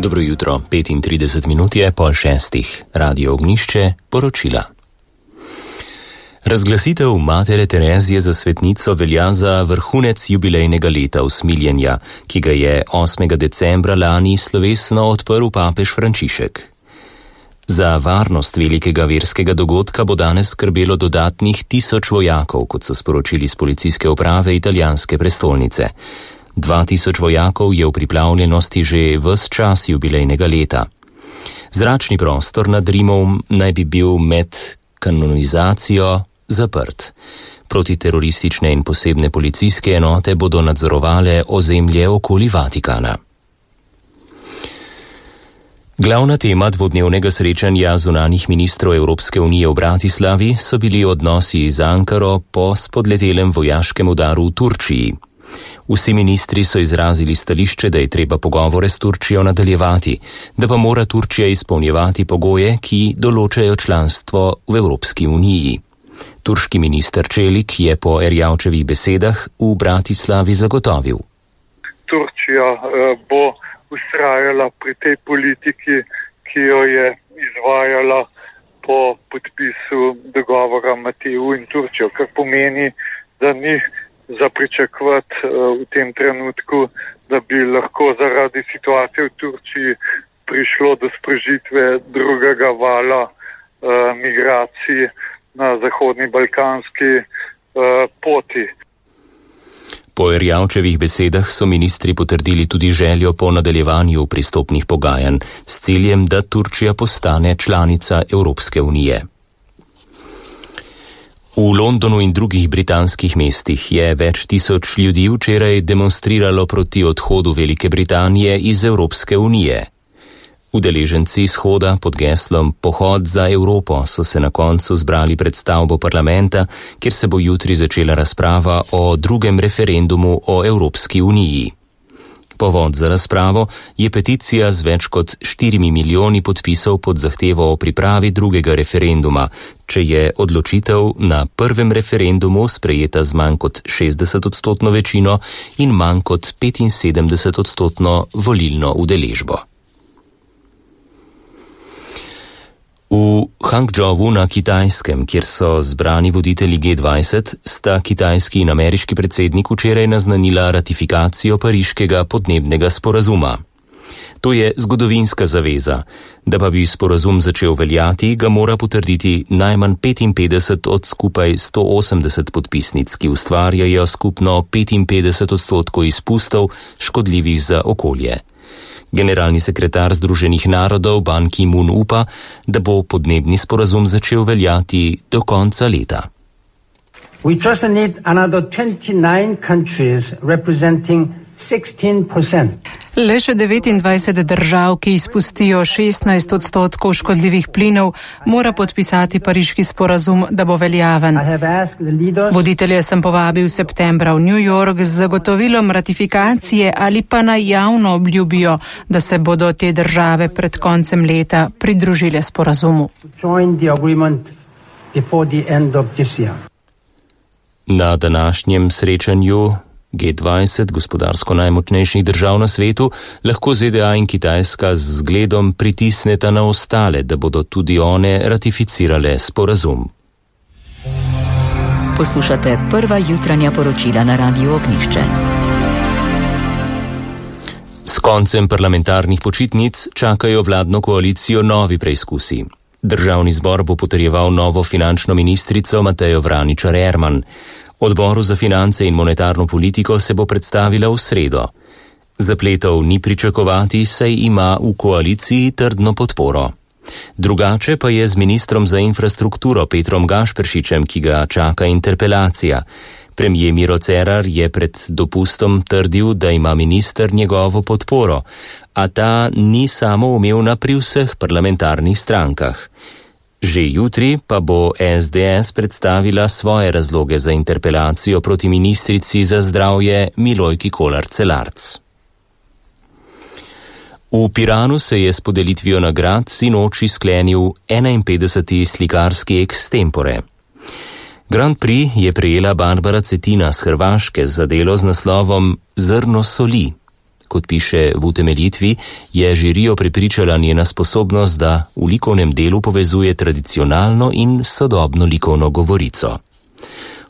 Dobro jutro, 35 minut je 5:30. Radio Ognjišče, poročila. Razglasitev Matere Terezije za svetnico velja za vrhunec jubilejnega leta usmiljenja, ki ga je 8. decembra lani slovesno odprl papež Frančišek. Za varnost velikega verskega dogodka bo danes skrbelo dodatnih 1000 vojakov, kot so sporočili z policijske uprave italijanske prestolnice. 2000 vojakov je v pripravljenosti že ves čas jubilejnega leta. Zračni prostor nad Rimom naj bi bil med kanonizacijo zaprt. Protiteroristične in posebne policijske enote bodo nadzorovale ozemlje okoli Vatikana. Glavna tema dvodnevnega srečanja zunanjih ministrov Evropske unije v Bratislavi so bili odnosi z Ankaro po spodletelem vojaškem udaru v Turčiji. Vsi ministri so izrazili stališče, da je treba pogovore s Turčijo nadaljevati, da pa mora Turčija izpolnjevati pogoje, ki določajo članstvo v Evropski uniji. Turški minister Čelik je po Erjavčevih besedah v Bratislavi zagotovil. Turčija bo vztrajala pri tej politiki, ki jo je izvajala po podpisu dogovora med EU in Turčijo, kar pomeni, da ni za pričakovati v tem trenutku, da bi lahko zaradi situacije v Turčiji prišlo do sprožitve drugega vala migracij na zahodni balkanski poti. Po Erjavčevih besedah so ministri potrdili tudi željo po nadaljevanju pristopnih pogajanj s ciljem, da Turčija postane članica Evropske unije. V Londonu in drugih britanskih mestih je več tisoč ljudi včeraj demonstriralo proti odhodu Velike Britanije iz Evropske unije. Udeleženci shoda pod geslom Pohod za Evropo so se na koncu zbrali pred stavbo parlamenta, kjer se bo jutri začela razprava o drugem referendumu o Evropski uniji. Povod za razpravo je peticija z več kot 4 milijoni podpisov pod zahtevo o pripravi drugega referenduma, če je odločitev na prvem referendumu sprejeta z manj kot 60% večino in manj kot 75% volilno udeležbo. V Hangzhouvu na Kitajskem, kjer so zbrani voditelji G20, sta kitajski in ameriški predsednik včeraj naznanila ratifikacijo pariškega podnebnega sporazuma. To je zgodovinska zaveza. Da pa bi sporazum začel veljati, ga mora potrditi najmanj 55 od skupaj 180 podpisnic, ki ustvarjajo skupno 55% izpustov škodljivih za okolje. Generalni sekretar Združenih narodov Ban Ki-moon upa, da bo podnebni sporazum začel veljati do konca leta. We just need another 29 countries representing 16%. Le še 29 držav, ki izpustijo 16% škodljivih plinov, mora podpisati pariški sporazum, da bo veljaven. Voditelje sem povabil septembra v New York z zagotovilom ratifikacije ali pa naj javno obljubijo, da se bodo te države pred koncem leta pridružile sporazumu. Na današnjem srečanju G20, gospodarsko najmočnejših držav na svetu, lahko ZDA in Kitajska z zgledom pritisneta na ostale, da bodo tudi one ratificirale sporazum. Poslušate prva jutranja poročila na Radiu Ognjišče. S koncem parlamentarnih počitnic čakajo vladno koalicijo novi preizkusi. Državni zbor bo potrjeval novo finančno ministrico Matejo Vraničar Erman. Odboru za finance in monetarno politiko se bo predstavila v sredo. Zapletov ni pričakovati, saj ima v koaliciji trdno podporo. Drugače pa je z ministrom za infrastrukturo Petrom Gašperšičem, ki ga čaka interpelacija. Premijer Miro Cerar je pred dopustom trdil, da ima minister njegovo podporo, a ta ni samoumevna pri vseh parlamentarnih strankah. Že jutri pa bo SDS predstavila svoje razloge za interpelacijo proti ministrici za zdravje Milojki Kolar Celarc. V Piranu se je s podelitvijo nagrad sinoči sklenil 51. slikarski extempore. Grand Prix je prejela Barbara Cetina z Hrvaške za delo z naslovom Zrno soli. Kot piše v utemeljitvi, je žirijo prepričala njena sposobnost, da v likovnem delu povezuje tradicionalno in sodobno likovno govorico.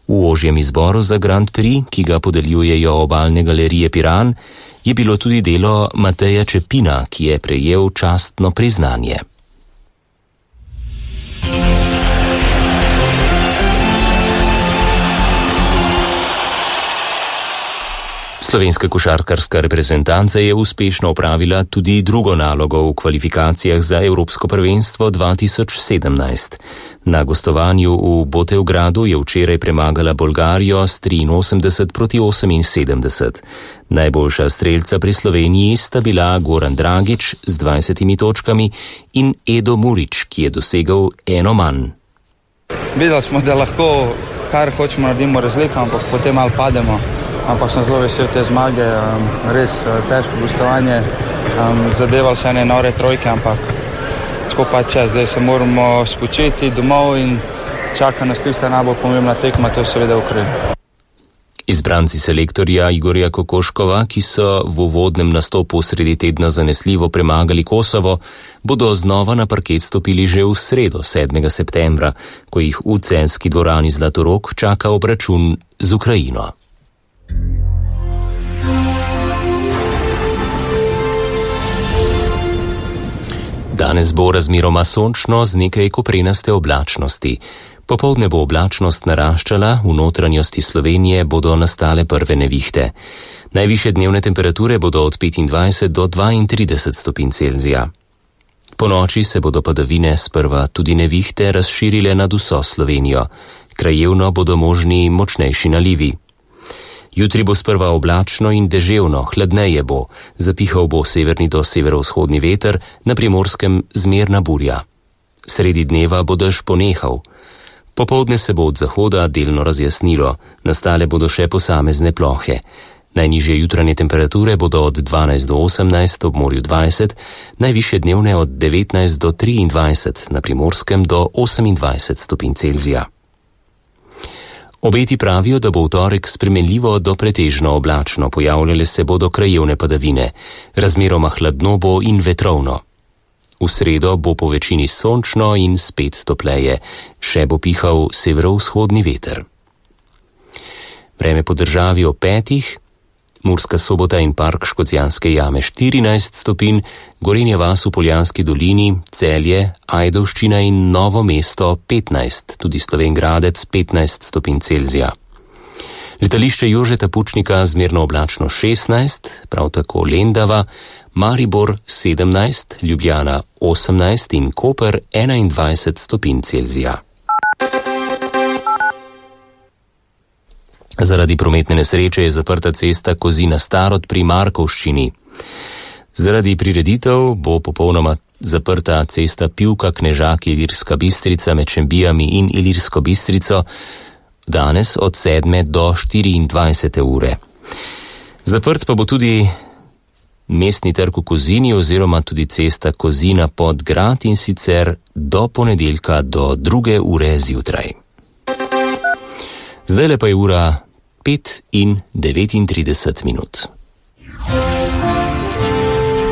V ožjem izboru za Grand Prix, ki ga podeljujejo Obalne galerije Piran, je bilo tudi delo Mateja Čepina, ki je prejel častno priznanje. Slovenska košarkarska reprezentanca je uspešno opravila tudi drugo nalogo v kvalifikacijah za Evropsko prvenstvo 2017. Na gostovanju v Botevgradu je včeraj premagala Bolgarijo s 83-78. Najboljša strelca pri Sloveniji sta bila Goran Dragić z 20 točkami in Edo Murić, ki je dosegel eno manj. Videli smo, da lahko kar hočemo naredimo razliko, ampak potem malo pademo. Ampak sem zelo vesel te zmage, res težko gostovanje, zadevali se ene nore trojke, ampak skupaj čas, zdaj se moramo spočiti domov in čaka nas tista najbolj pomembna tekma, to je seveda Ukrajina. Izbranci selektorja Igorja Kokoškova, ki so v uvodnem nastopu sredi tedna zanesljivo premagali Kosovo, bodo znova na parket stopili že v sredo 7. septembra, ko jih v celjski dvorani Zlatorog čaka obračun z Ukrajino. Danes bo razmeroma sončno z nekaj koprenaste oblačnosti. Popoldne bo oblačnost naraščala, v notranjosti Slovenije bodo nastale prve nevihte. Najvišje dnevne temperature bodo od 25 do 32 stopinj Celzija. Po noči se bodo padavine sprva tudi nevihte razširile nad vso Slovenijo. Krajevno bodo možni močnejši nalivi. Jutri bo sprva oblačno in deževno, hladneje bo, zapihal bo severni do severovzhodni veter, na Primorskem zmerna burja. Sredi dneva bo dež ponehal. Popoldne se bo od zahoda delno razjasnilo, nastale bodo še posamezne plohe. Najnižje jutranje temperature bodo od 12 do 18, ob morju 20, najvišje dnevne od 19 do 23, na Primorskem do 28 stopinj Celzija. Obeti pravijo, da bo v torek spremenljivo do pretežno oblačno, pojavljale se bodo krajevne padavine, razmeroma hladno bo in vetrovno. V sredo bo po večini sončno in spet topleje, še bo pihal severovzhodni veter. Vreme po državi ob 5, Murska Sobota in park Škocjanske jame 14 stopinj, Gorenja vas v Poljanski dolini, Celje, Ajdovščina in Novo mesto 15, tudi Slovenj Gradec 15 stopinj Celzija. Letališče Jožeta Pučnika zmerno oblačno 16, prav tako Lendava, Maribor 17, Ljubljana 18 in Koper 21 stopinj Celzija. Zaradi prometne nesreče je zaprta cesta Kozina-Starod pri Markovščini. Zaradi prireditev bo popolnoma zaprta cesta Pivka-Knežak-Ilirska Bistrica med Šembijami in Ilirsko Bistrico danes od 7 do 24 ure. Zaprt pa bo tudi mestni trg v Kozini oziroma tudi cesta Kozina pod grad in sicer do ponedeljka do 2 ure zjutraj. Zdajle pa je ura 5:39.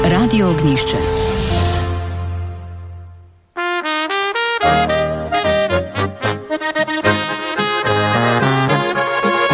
Radio Ognjišče.